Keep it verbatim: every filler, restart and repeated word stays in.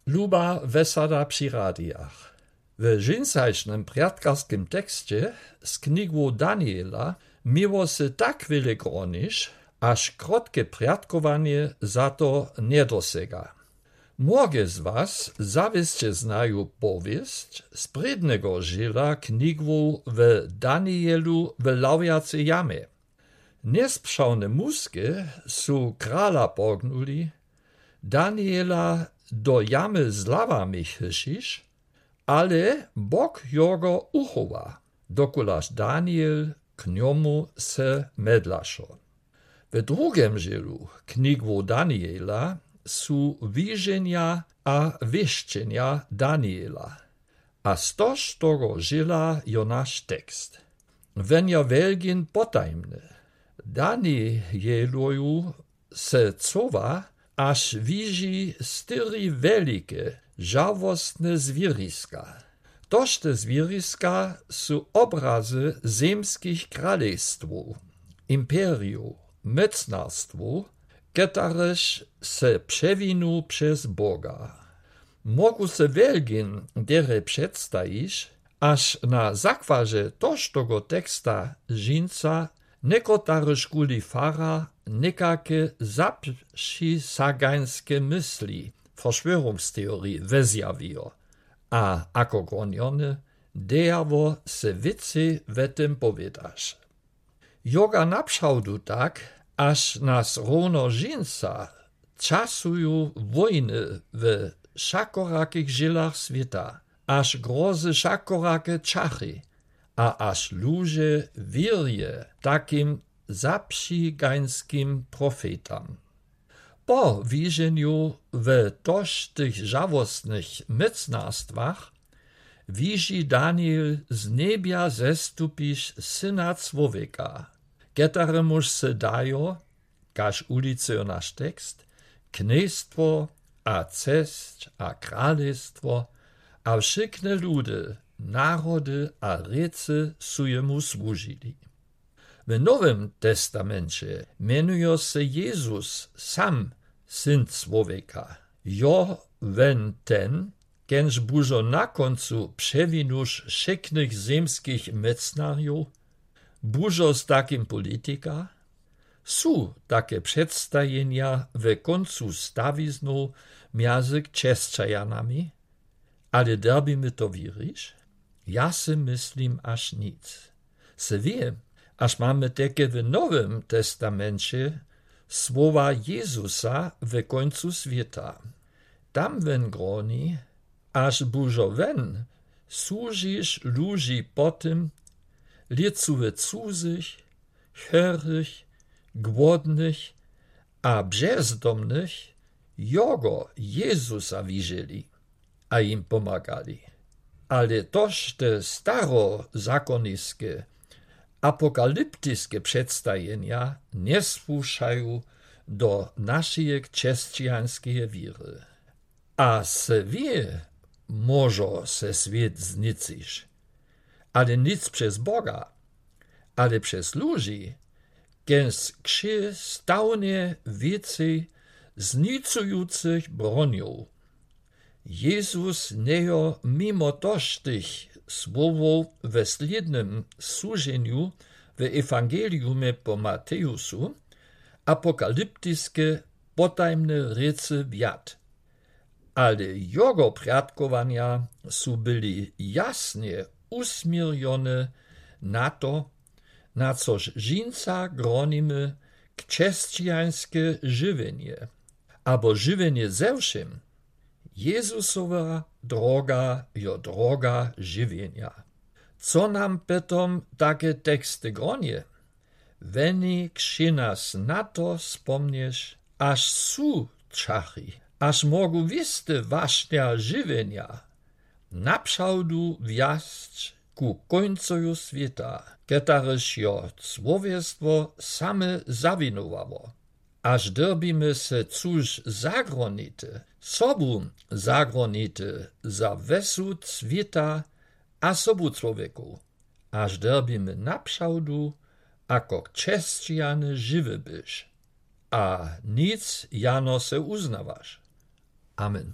Luba wesada při radijach. W dźensajšnym prjatkarskim teksće z knigu Daniela měło se tak wjele groniš, aż krotke prjatkowanje za to njedosega. Mnóge z was zawěsće znaju powěsć z prědnego dźěla knigu w Danielu w lawjacej jamje. Njespřawne muske su krala pognuli, Daniela do jamy z lawami chyšić, ale Bóg jogo uchowa, dokulaž Daniel k njomu se medlašo. W drugim dźělu knigu Daniela su wiženja a wěšćenja Daniela. A z tož toho dźěla jo naš tekst. Wón jo wjelgin potajmny. Danieloju se cowa, aż wiži štyri wjelike, žałosne zwěriska. Tož te zwěriska su obrazy zemskich kralejstwow, imperijow, mocnarstwow, ketarež se přewinu přez Boga. Mógł se wjelgin derje předstajić, aż na zakładźe tož toho teksta dźensa někotaryž kuli fara někake zapřisagańske mysli, Verschwörungstheorie, wezjawijo. A ako gronjony, dejało se wěcej we tym powědaš. Joga napřawdu tak, aż nas rowno dźensa časuju wójny we wšakorakich dźělach swěta, aż grozy wšakorake čachy, a aż luže wěrje takim zapřigańskim profetam. Po wiženju we tož tych žałosnych mocnarstwach wiži Daniel z njebja zestupić Syna Człowieka, ketaremuž se dajo, kaž wulicyjo naš tekst, knjejstwo a cesć a kralejstwo, a wšykne ludy, narody a rěcy su jemu słužili. W Nowym Testamenće mjenujo se Jezus sam Syn Człowieka. Jo wón ten, kenž bužo na kóncu přewinuš wšyknych zemskich mocnarjow? Bužo z takim politika? Su take předstajenja we kóncu stawiznow mjazy křesćanami? Ale dyrbimy to wěrić? Ja sy myslim, aż nic. Se wě, aż mamy teky w Nowym Testamenće słowa Jezusa we kóncu swěta. Tam wón groni, aż bužo wón słužiš luži po tym, lěcowe cudzych, chorych, głodnych a bzezdomnych, jogo Jezusa wiželi a jim pomagali. Ale tož te starozakoniske, apokaliptiske předstajenja njesłušaju do našeje křesćańskeje wěry. A se wě, móžo se swět znicyć, ale nic přez Boga, ale přez luži, kenž kři stawnie wěcej znicujących bronjow. Jezus njejo mimo tož tych słowow we slědnym słuženju w Ewangeliumje po Matejusu apokaliptiske potajmne rěcy wjad. Ale jogo prjadkowanja su byli jasnje usměrjone na to, na což dźensa gronimy křesćańske žiwjenje, abo žiwjenje ze wšym. Jezusowa droga jo droga žiwjenja. Co nam potom take teksty gronje? Wóni kři nas na to spomnieć, aż su čachy, aż mógł wěsty wašnja žiwjenja napřawdu wjasć ku kóńcoju swěta, ketaryž jo człowiestwo same zawinowało. Aż dyrbimy se cóż zagronite, sobu zagronite za wjesud swěta a sobu człowiekow, aż dyrbimy napřawdu ako křesćane žiwi być. A nic jano se uznawaš. Amen.